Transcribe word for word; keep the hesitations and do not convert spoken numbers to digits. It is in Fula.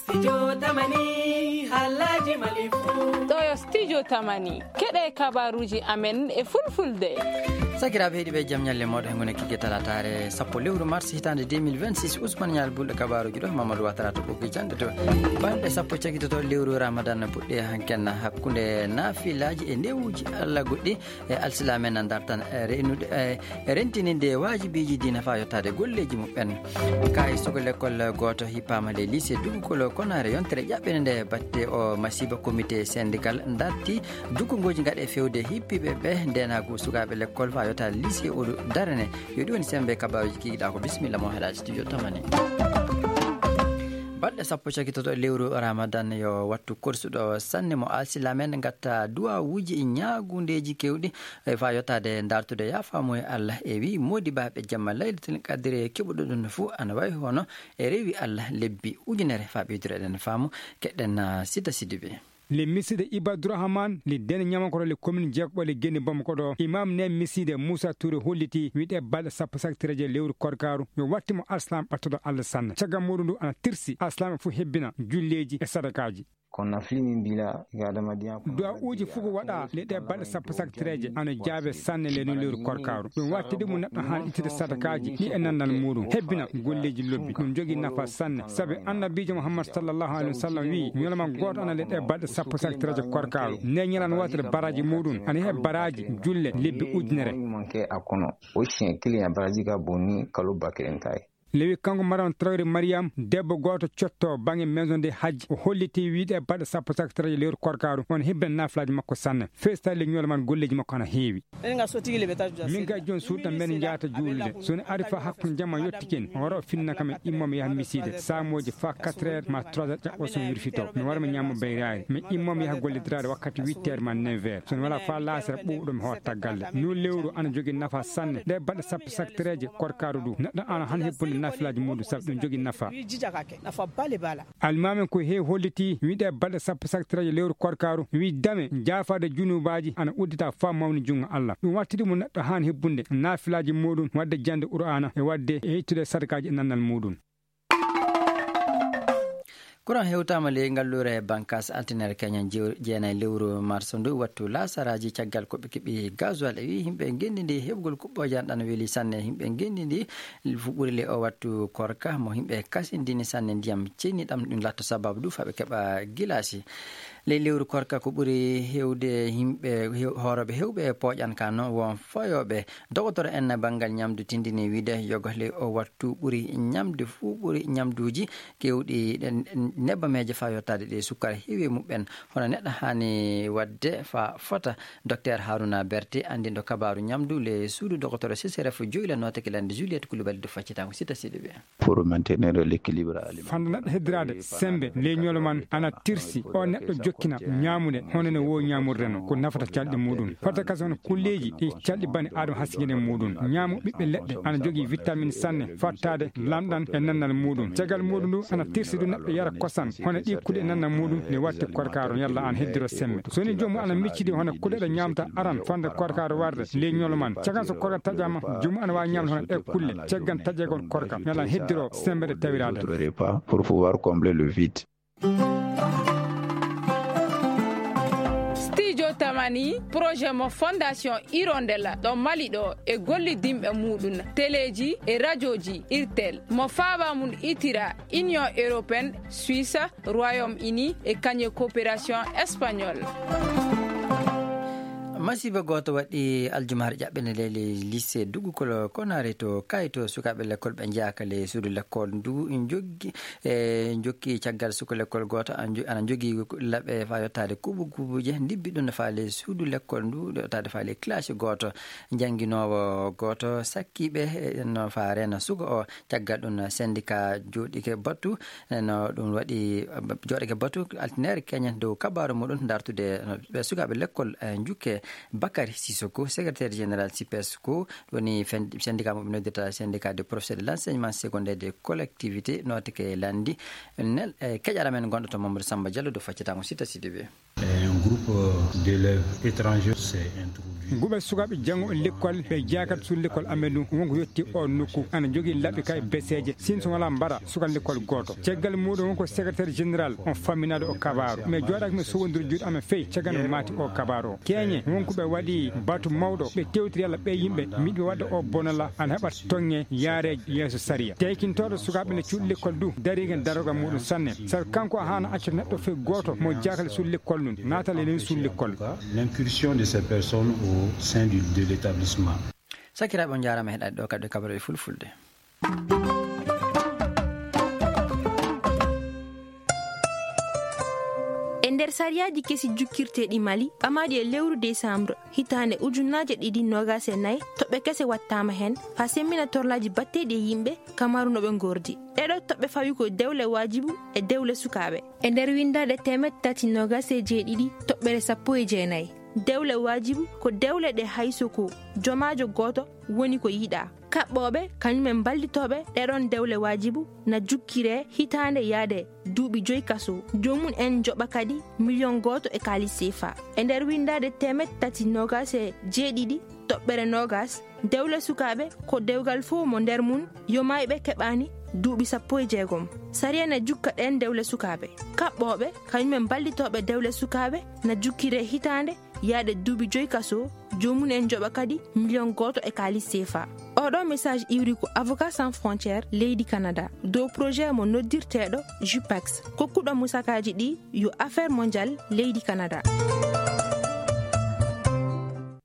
Studio Tamani, haalaaji Mali fuu. Ɗo yo Studio Tamani, keɗe kabaruuji amen e fulfulde. Sakiraaɓe heɗiiɓe, jam ñalle mooɗo he ngune kigge talataare sappo lewru mars hitaande deux mille vingt-six. Ousmane Ñaal Bulɗo kabaaruuji ɗo, Mamadou Watara to ɓoggi jannde to. Balɗe sappo cagitoto lewru Ramadan puɗɗi hanken hakkunde naafilaaji e newuuji Allah goɗɗi. E alsilaame na dartan, e, reynude, e, rentininde waajibiiji diina faa yottaade golleeji muɓɓen. Kaay suka lekkol gooto hippaama ley lycée Dugukolo Konaare, yontere ƴaɓɓende nde batte o masiiba comité syndical darti dukkungooji gaɗe fewde hippiiɓe ɓe ndeenaagu sukaaɓe lekkol faa yottaade lycée o darane. Yo ɗi woni semmbe kabaaruuji kikiɗaa ko. Bisimilla mo heɗaa studio Tamani. Balɗe sappo cakitoto lewru Ramadan yo wattu korsuɗo sanne mo alsilamen ngatta duwawuuji e ñaagundeeji kewɗi, e faa yottaade dartude yaafaamu e Allah. E wi moodibaaɓe jamma Laylatul Qadri keɓuɗo ɗum fuu ana wayi hono e rewi Allah lebbi ujunere faa ɓeydureɗen faamu. Keɗɗen, ah, Sita Sidibe. Le miside Ibadurahman, le dene ñamakoro le commune Jekɓo le Geni Bamako ɗo. Imam ne miside Moussa Touré holliti wiɗe balɗe sappo saktireje lewru korkaru. Yo watti mo alslam ɓattoɗo Allah sanne. Caggal muɗum ndu ana tirsi alslam e fof hebbina julleeji e sadakaaji. Kono nafli min mbila ga adama diyan kono du'a uji fugo waɗa le ɗe balɗe sappo saktireje ana jaabe sanne le nun lewru korkaru. Ɗum wattidi mo neɗɗo han ittude sadakaaji ɗi e nandal muɗum hebbina golleeji lobbi. Ɗum jogi nafa sanne sabi annabiijo Muhammad sallallahu alaihi wasallam wi ñoloma gooto ana le ɗe balɗe sappo saktireje korkaru ne ñalan wootere baraji muɗum ana he baraji julle lebbi ujunere. Manke a kono o chien client baraji ga bonni kalo bakiren tayi. Lewi kanko Maram Traoré Mariam, debbo gooto cotto baŋnge maison de hajji, o holliti wiide balɗe sappo saktiraaji lewru korkaaru, on hebbina naafilaaji makko sanne. Feestaali le ñoolo man golleeji makko ana heewi. Min ga jooni suuɗa men njaata juulde. So ne ari fa hakkunde jamma yottike en, o wara o finna kam en immo mi yaha misiide. Saamooji fa quatre heures ma trois heures ƴaɓɓo so mi wirfito. Mi wara mi ñaamo bayraari. Mi immo mi yaha gollidiraade wakkati huit heures ma neuf heures. So ne wala fa laasere ɓuuɓɗo mi hoota galle. Ndu lewru ana jogi nafa sanne. Nde balɗe sappo saktireeje korkaaru du, neɗɗo ana han hebbunde naafilaaji muɗum sabu ɗum jogi nafa. Almaamen ko heewi holliti wiide balɗe sappo saktireeje lewru korkaaru, wi dame jaafaade junubaaji ana uddita fa mawni junngo Allah. Ɗum wattidi mo neɗɗo han hebbunde naafilaaji muɗum, waɗde jande Qur'aana e waɗde e ittude sadakaaji e nannal muɗum. Courant hewtaama ley ngalluure Bankas altinere keñen jew-, jeenayi lewru mars ndu wattu laasaraaji caggal ko ɓe keɓi gasoil. E wi yimɓe ngenndi ndi heɓgol kuɓɓooje an ɗan weli sanne. Yimɓe ngenndi ndi fu ɓuri le o wattu korka mo yimɓe kasindini sanne ndiyam ceniɗam ɗum latto sababu du fa ɓe keɓa gilaasi. Ley lewru korka ko ɓuri hewde yimɓe hew-, hoorooɓe hewɓe pooƴan ka no won fayooɓe. Dogotoro en banngal ñamdu tindini wiide yoga ley o wattu ɓuri ñamde fuu ɓuri ñamduuji kewɗi ɗen nebbameeje fa yottaade ɗe sukkara heewi e muɓɓen. Hono neɗɗo haani waɗde fa fota. Docteur Haruna Berté, anndinɗo kabaaru ñamdu le suudu dogotoro C C R F joyla nootake lande Juliette Coulibaly de faccitango sita siɗi ɓe. Pour maintenir l'équilibre alimentaire. Fanda neɗɗo heddiraade sembe ley ñoolo man ana tirsi o neɗɗo jokkina ñaamude hono no wo ñaamurde no ko nafata calɗi muɗum. Fata kas hono kulleeji ɗi calɗi bani Adama hasigene muɗum. Ñaamu ɓiɓɓe leɗɗe ana jogii vitamine sanne fattaade lamɗan e nannal muɗum. Caggal muɗum ndu ana tirsi du neɗɗo yara kosan hono ɗi kuɗe nannal muɗum ne watti korkaaro yalla an heddiro sembe. So ni joomu ana miccidi hono kuɗe ɗe ñaamta aran fanda korkaaro warde ley ñoolo man. Caggal so korka taƴama joomu ana waawi ñaamde hono ɗe kulle caggan taƴegol korka yalla an heddiro sembe ɗe tawiraade. D'autres repas pour pouvoir combler le vide. Studio Tamani, projet mo Fondation Hirondelle ɗo Mali ɗo e gollidinɓe muɗum, teleeji e rajoji Irtel, mo faaba mum itira Union Européenne, Suisse, Royaume-Uni e kañe coopération espagnole. Masiiba gooto waɗi aljumaare ƴaɓɓende ley lycée Dugukolo Konare to Kayto. Sukaaɓe lekkol ɓe njeyaaka ley suudu lekkol ndu joggi, e jokki caggal suka lekkol gooto ana jo-, ana jogii laɓe faa yottaade kuubu kuubuuje, ndibbi ɗum faa ley suudu lekkol ndu, yottaade faa ley classe gooto. Jannginoowo gooto sakkiiɓe, e, no faa reena suka o. Caggal ɗum, syndicat jooɗike batu, no ɗum waɗi, jooɗike batu, altinere keñen dow kabaaru muɗum, dartude no ɓe sukaaɓe lekkol, e, njukke Bakary Sissoko, secrétaire général sipes, ko woni fen- syndicat mo ɓe noddirta syndicat de professeur de l'enseignement secondaire de collectivité nooteke landi. Nel e keƴara men gonɗo to Mamadou Samba Diallo do faccata mo sita sidibe. Un groupe d'élèves étrangers s'est introduit. Nguɓe sukaaɓe janngo lekkol ɓe jaakat suul lekkol amen ɗum wonko yetti o nokku ana jogii laɓɓi kay beseeje sin so wala mbara suka lekkol gooto. Caggal muɗum wonko secrétaire général on famminaɗo o kabaaro mais jooɗaaki mi sowodir juuɗe amen fey caggal mi maati o kabaaro o keeñe wonko ɓe waɗi batu mawɗo ɓe tewtiri yalla ɓe yimɓe miɗo wadda o bonala ana heɓa tonge yaare yeeso sariya. Teykintooɗo sukaaɓe ne cuuɗi lekkol du darigen daroga muɗum sanne sabu kanko a hana acca neɗɗo fey gooto mo jaakale suul lekkol ɗum naatale len suul lekkol. L'incursion de ces personnes au sein du- de l'établissement. Sakiraaɓe on njaarama heɗaade ɗo kadi kabaruɗe fulfulde. E nder sariyaaji kesi jukkirteeɗi Mali ɓamaaɗi e lewru décembre hitaande ujunnaaje ɗiɗi noogaas e nayi toɓɓe kese wattaama heen faa semmina torlaaji batteeɗi e yimɓe kamaru no ɓe ngordi. Ɗeɗo toɓɓe fawi ko dewle waajibu e dewle sukaaɓe. E nder winndaade teemeɗ tati noogaas e jeeɗiɗi toɓɓere sappo e jeenayi dewle waajibu ko dewle ɗe hayso ko jomaajo gooto woni ko yiɗaa. Kaɓɓooɓe kañum e mballitooɓe ɗeɗon dewle waajibu na jukkiree hitaande yaade duuɓi joy kaso. Joomum en njoɓa kadi miliyon gooto e kaalis seefa. E nder winndaade teemeɗ tati noogaas e jeeɗiɗi toɓɓere noogaas dewle sukaaɓe ko dewgal fof mo nder mum yo maayɓe keɓaani duuɓi sappo e jeegom. Sariya na jukka ɗeen dewle sukaaɓe. Kaɓɓooɓe kañum e mballitooɓe dewle sukaaɓe na jukkiree hitaande yaade duuɓi joy kaso. Joomum en njoɓa kadi miliyon gooto e kaalis seefa. Oɗo message iwri ko avocat sans frontière leydi canada dow projet mo noddirteeɗo jupex kokkuɗo musakaaji ɗi yo affaire mondial leydi canada.